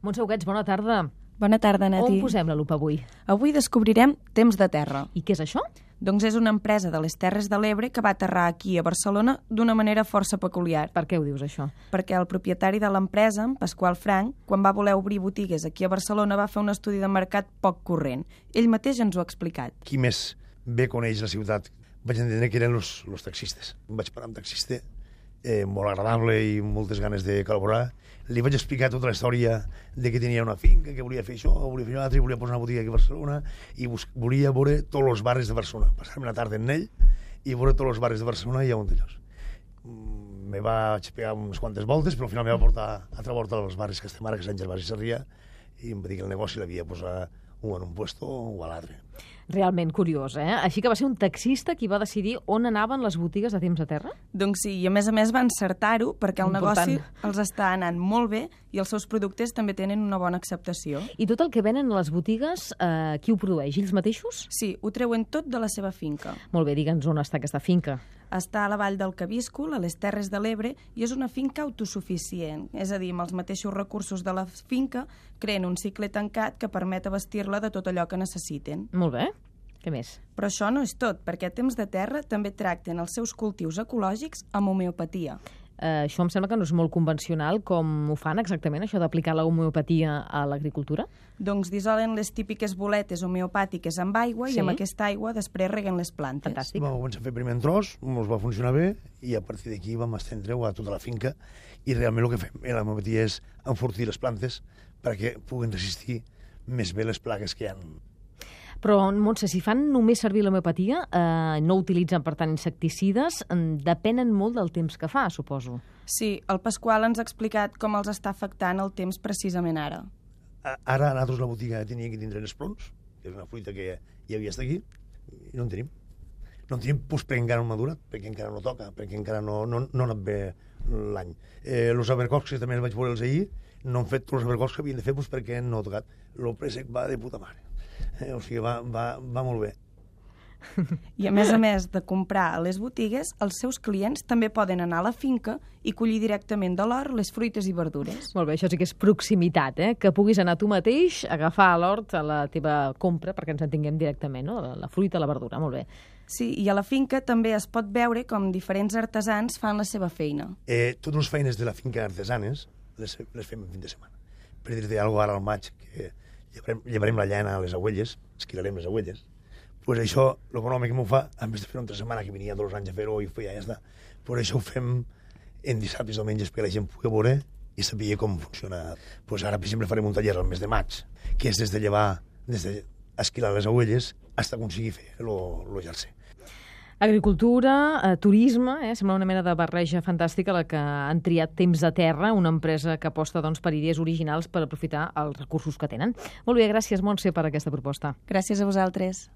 Montse Huguets, bona tarda. Bona tarda, Nati. On posem la lupa avui? Avui descobrirem Temps de Terra. I què és això? Doncs és una empresa de les Terres de l'Ebre que va aterrar aquí a Barcelona d'una manera força peculiar. Per què ho dius, això? Perquè el propietari de l'empresa, en Pasqual Frank, quan va voler obrir botigues aquí a Barcelona, va fer un estudi de mercat poc corrent. Ell mateix ens ho ha explicat. Qui més bé coneix la ciutat? Vaig entendre que eren els taxistes. Vaig parar amb taxista, molt agradable i moltes ganes de col·laborar. Li vaig explicar tota la història de que tenia una finca, que volia fer això, volia fer això altre, volia posar una botiga aquí a Barcelona i volia veure tots els barris de Barcelona. Passar-me una tarda en ell i veure tots els barris de Barcelona i a un d'ells. Me vaig pegar unes quantes voltes, però al final me va portar a altra volta als barris que estem ara, que és Sant Gervasi i Sarrià, i em va dir que el negoci l'havia posat un en un puesto o a l'altre. Realment curiós, eh? Així que va ser un taxista qui va decidir on anaven les botigues de Temps de Terra? Doncs sí, i a més va encertar-ho perquè el Important. negoci els està anant molt bé i els seus productes també tenen una bona acceptació. I tot el que venen a les botigues, qui ho produeix? Ells mateixos? Sí, ho treuen tot de la seva finca. Molt bé, digue'ns on està aquesta finca. Està a la vall del Cabíscol, a les Terres de l'Ebre, i és una finca autosuficient. És a dir, amb els mateixos recursos de la finca, creen un cicle tancat que permet abastir-la de tot allò que necessiten. Molt bé. Què més? Però això no és tot, perquè a Temps de Terra també tracten els seus cultius ecològics amb homeopatia. Això em sembla que no és molt convencional. Com ho fan exactament, això d'aplicar la homeopatia a l'agricultura? Doncs dissolen les típiques boletes homeopàtiques amb aigua Sí. i amb aquesta aigua després reguen les plantes. Fantàstic. Vam començar a fer primer en tros, ens va funcionar bé i a partir d'aquí vam estendre-ho a tota la finca i realment el que fem la homeopatia és enfortir les plantes perquè puguin resistir més bé les plagues que hi ha. Però, Montse, si fan només servir l'homeopatia, no utilitzen, per tant, insecticides, depenen molt del temps que fa, suposo. Sí, el Pasqual ens ha explicat com els està afectant el temps precisament ara. Ara nosaltres la botiga tenia que tindre els plons, que és una fruita que hi havia estat aquí, i no en tenim. No en tenim perquè encara no ha madurat, perquè encara no toca, perquè encara no ha anat bé l'any. Els abercocs, que també els vaig veure els ahir, no han fet tots els abercocs que havien de fer perquè no ha tocat. El préssec va de puta mare. O sigui, va molt bé. I a més de comprar a les botigues, els seus clients també poden anar a la finca i collir directament de l'hort les fruites i verdures. Molt bé, això sí que és proximitat, que puguis anar tu mateix, agafar a l'hort a la teva compra, perquè ens entenguem directament, no? La fruita, la verdura, molt bé. Sí, i a la finca també es pot veure com diferents artesans fan la seva feina. Totes les feines de la finca artesanes les fem en fin de setmana. Per dir-te alguna cosa ara al maig, que llevarem la llana a les agüelles, esquilarem les agüelles, pues això, l'econòmic que m'ho fa, en vez de fer-ho entre setmana, que venia 2 anys a fer-ho i ja està, pues això ho fem en dissabtes i diumenges perquè la gent pugui veure i sabia com funciona. Pues ara, per exemple, farem un taller al mes de maig, que és des d'esquilar les agüelles fins a aconseguir fer el jersei. Agricultura, turisme, sembla una mena de barreja fantàstica la que han triat Temps de Terra, una empresa que aposta per idees originals per aprofitar els recursos que tenen. Molt bé, gràcies, Montse, per aquesta proposta. Gràcies a vosaltres.